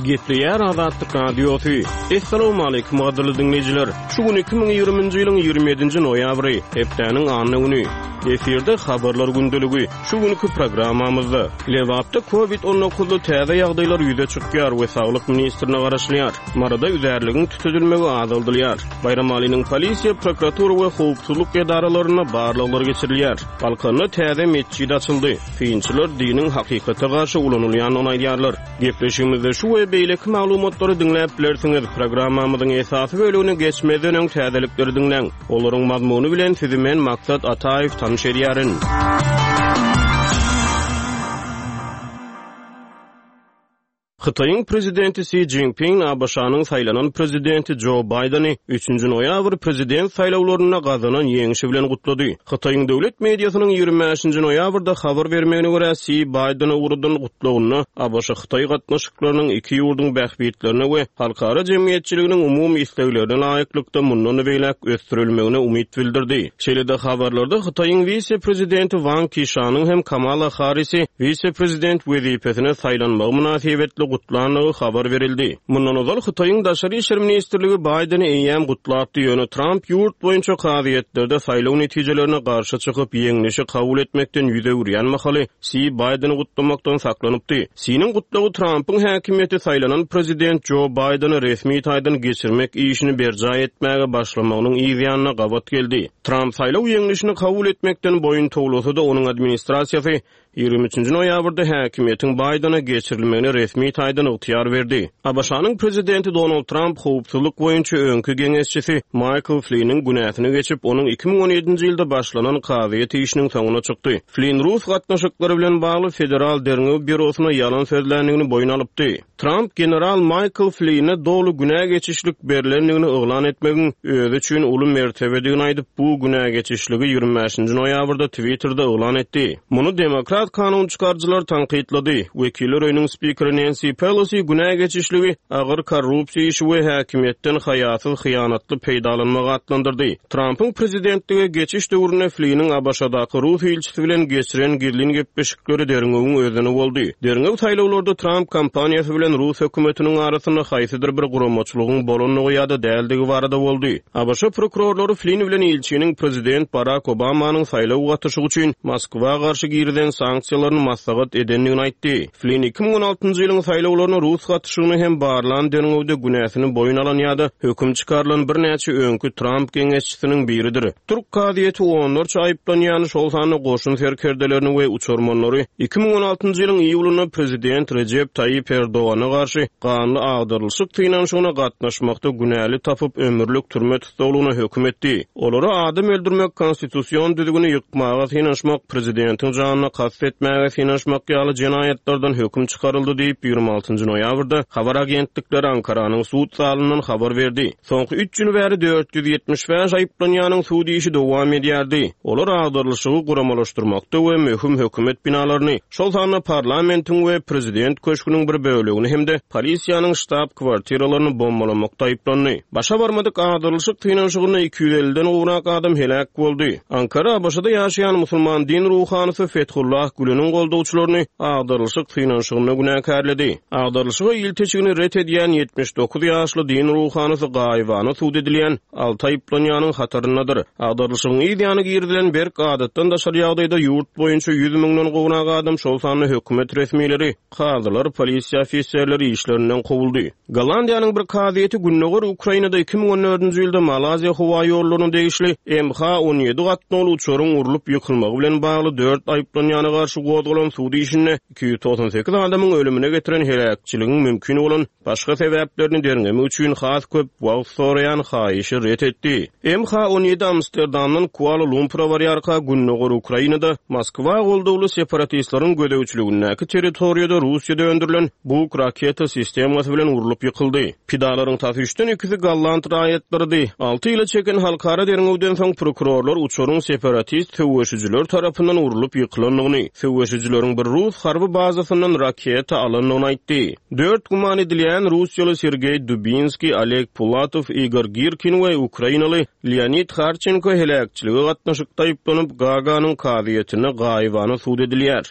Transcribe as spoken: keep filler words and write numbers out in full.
Gepleýär Azatlyk Radiosy. Assalamualaikum gadyrly diňleýjiler. Şu gün iki müň ýigriminji ýylyň ýigrimi ýedinji noýabry, hepdäniň anna güni. Efirde habarlar gündeligi. Şu günki programmamyzda Lebapda COVID on dokuzly täze ýagdaýlar ýüze çykýar we saglyk ministrine garaşylýar. Maryda üzärligiň tütedilmegi azaldylýar. Baýramalynyň polisiýa, prokuratura we howpsuzlyk edaralarynda barlaglar geçirilýär. Balkanda täze metjit açyldy. Synçylar diniň hakykata garşy ulanylýandygyny aýdýarlar. Gepleşigimizde şu we beýleki maglumatlary diňläp bilersiňiz. Programmamyzyň esasy bölümine geçmezden öň täzelikleri diňläň. Olaryň mazmuny bilen sizi men Maksat Ataýew tanyş edýärin. Hytaýyň prezidenti Xi Jinping A B Ş-nyň saýlanan prezidenti Joe Bideni üçünji noýabr prezident saýlawlarynda gazanan ýeňşi bilen gutlady. Hytaýyň döwlet mediasynyň ýigrimi bäşinji noýabrda habar bermegine görä Xi Bideni ugradan gutlagynda A B Ş Hytaý gatnaşyklarynyň iki ýurduň bähbitlerine we halkara jemgyýetçiliginiň umumy isleglerine laýyklykda mundan beýläk ösdürilmegine umyt bildirdi. Şeýle-de habarlarda Hytaýyň wise-prezidenti Wang Qishanyň hem Kamala Harrisi wise-prezident wezipesine saýlanmagy mynasybetli gutlandygy habar berildi. Mundan ozal Hytaýyň Daşary işler ministrligi Bideni eýýäm gutlapdy, ýöne Trump ýurt boýunça kazyýetlerde saýlaw netijelerine garşy çykyp ýeňlişi kabul etmekden ýüz öwürýän mahaly Xi Bideni gutlamakdan saklanypdy. Xi'niň gutlagy Trumpyň häkimiýeti saýlanan prezident Joe Bideni resmi taýdan geçirmek işini berjaý etmäge başlamagynyň ýanyna gabat geldi. Trump saýlaw ýeňlişini kabul etmekden boýun towlasa-da onuň administrasiýasy ýigrimi üçünji noýabrda häkimiýetiň Bidene geçirilmegine resmi taýdan ygtyýar berdi. A B Ş-nyň prezidenti Donald Trump howpsuzlyk boýunça öňki geňeşçisi Michael Flynn'in günäsini geçip, onuň iki müň on ýedinji ýylda başlanan kazyýet işiniň soňuna çykdy. Flynn Rus gatnaşyklary bilen bagly Federal Derňew Býurosyna ýalan sözländigini boýun alypdy. Trump general Michael Flynn'e doly günä geçişlik berlendigini yglan etmegiň özi üçin uly mertebedigini aýdyp, bu günä geçişligi ýigrimi bäşinji noýabrda Twitter'da yglan etdi. Muny demokrat kanun çykaryjylar tankytlady. Wekiller öýüniň spikeri Nancy Pelosi günä geçişligi agyr korrupsiýa işi we häkimiýetden haýasyz hyýanatly peýdalanmagy atlandyrdy. Trumpyň prezidentlige geçiş döwründe Flynn'in A B Ş-daky Rus ilçisi bilen geçiren gizlin gepleşikleri derňewiň özeni boldy. Derňew saýlawlarda Trump kampaniýasy bilen Rus hökümetiniň arasynda haýsydyr bir guramaçylygyň bolandygy ýa-da däldigi barada boldy. A B Ş prokurorlary Flynn bilen ilçiniň prezident Barack Obamanyň saýlaw gatyşygy üçin Moskwa garşy girizen sanksiýalaryny maslahat edendigini aýtdy. Flynn iki müň on altynjy ýylyň saýlawlaryna Rus gatyşygyny hem barlan derňewde günäsini boýun alan ýa-da höküm çykarylan birnäçe öňki Trump geňeşçisiniň biridir. Türk kazyýeti onlarça aýyplanýan şol sanda goşun serkerdelerini we uçarmanlary iki müň on altynjy ýylyň iýulynda prezident Recep Tayyip Erdogana garşy ganly agdarylyşyk synanyşygyna gatnaşmakda günäli tapyp ömürlik türme tussaglygyna höküm etdi. Olara adam öldürmek, konstitusion düzgüni ýykmaga synanyşmak, prezidentiň janyna kast etmäge synanyşmak ýaly jenaýatlardan höküm çykaryldy diýip ýigrimi altynjy noýabrda habar agentlikleri Ankaranyň sud zalyndan habar berdi. Soňky üç ýyl bäri dört ýüz ýetmiş bäş aýyplanýanyň sud işi dowam edýärdi. Olar agdarylyşygy guramalaşdyrmakda we möhüm hökümet binalaryny, şol sanda parlamentiň we prezident köşgüniň bir bölegini hem-de polisiýanyň ştab kwartiralaryny bombalamakda aýyplandy. Başa barmadyk agdarylyşyk synanyşygynda iki ýüz elliden gowrak adam heläk boldy. Ankara A B Ş-da ýaşaýan musulman din ruhanysy Fethullah Güleniň goldawçylaryny agdarylyşyk synanyşygynda günäkärledi. Agdarylyşyga ilteçigini ret edýän ýetmiş dokuz ýaşly din ruhanysy gaýybana sud edilýän alty aýyplanýanyň hataryndadyr. Agdarylyşygyň yz ýany girizilen berk adatdan daşary ýagdaýda ýurt boýunça ýüz müňden gowrak adam, şol sanda hökümet resmileri, kazylar, polisiýa ofiserleri işlerinden kowuldy. Gollandiýanyň bir kazyýeti Gündogar Ukrainada iki müň on dördünji ýylda Malaziýa howa ýollaryna degişli M H on ýedi gatnawly uçaryň urlup ýykylmagy bilen bagly dört aýyplanýana garşy gozgalan sud işinde iki ýüz togsan sekiz adamyň ölümine getiren heläkçiligiň mümkin bolan başga sebäplerini derňemek üçin has köp wagt soraýan haýyşy ret etdi. M H on ýedi Amsterdamdan Kuala Lumpura barýarka Gündogar Ukrainada Moskwa goldawly separatistleriň gözegçiligindäki territoriýada Russiýada öndürilen Buk raketa sistemasy bilen urlup ýykyldy. Pidalaryň tas üçden ikisi Golland raýatlarydy. Alty ýyla çeken halkara derňewden soň prokurorlar uçaryň separatist söweşijiler tarapyndan urlup ýykylandygyny, söweşijileriň bir rus harby bazasyndan raketa alandygyny aýtdy. Dört güman edilýän Russiýaly Sergey Dubinskiý, Oleg Pulatow, Igor Girkin we Ukrainaly Leonid Harçenko heläkçilige gatnaşykda aýyplanyp, Gaganyň kazyýetine gaýybana sud edilýär.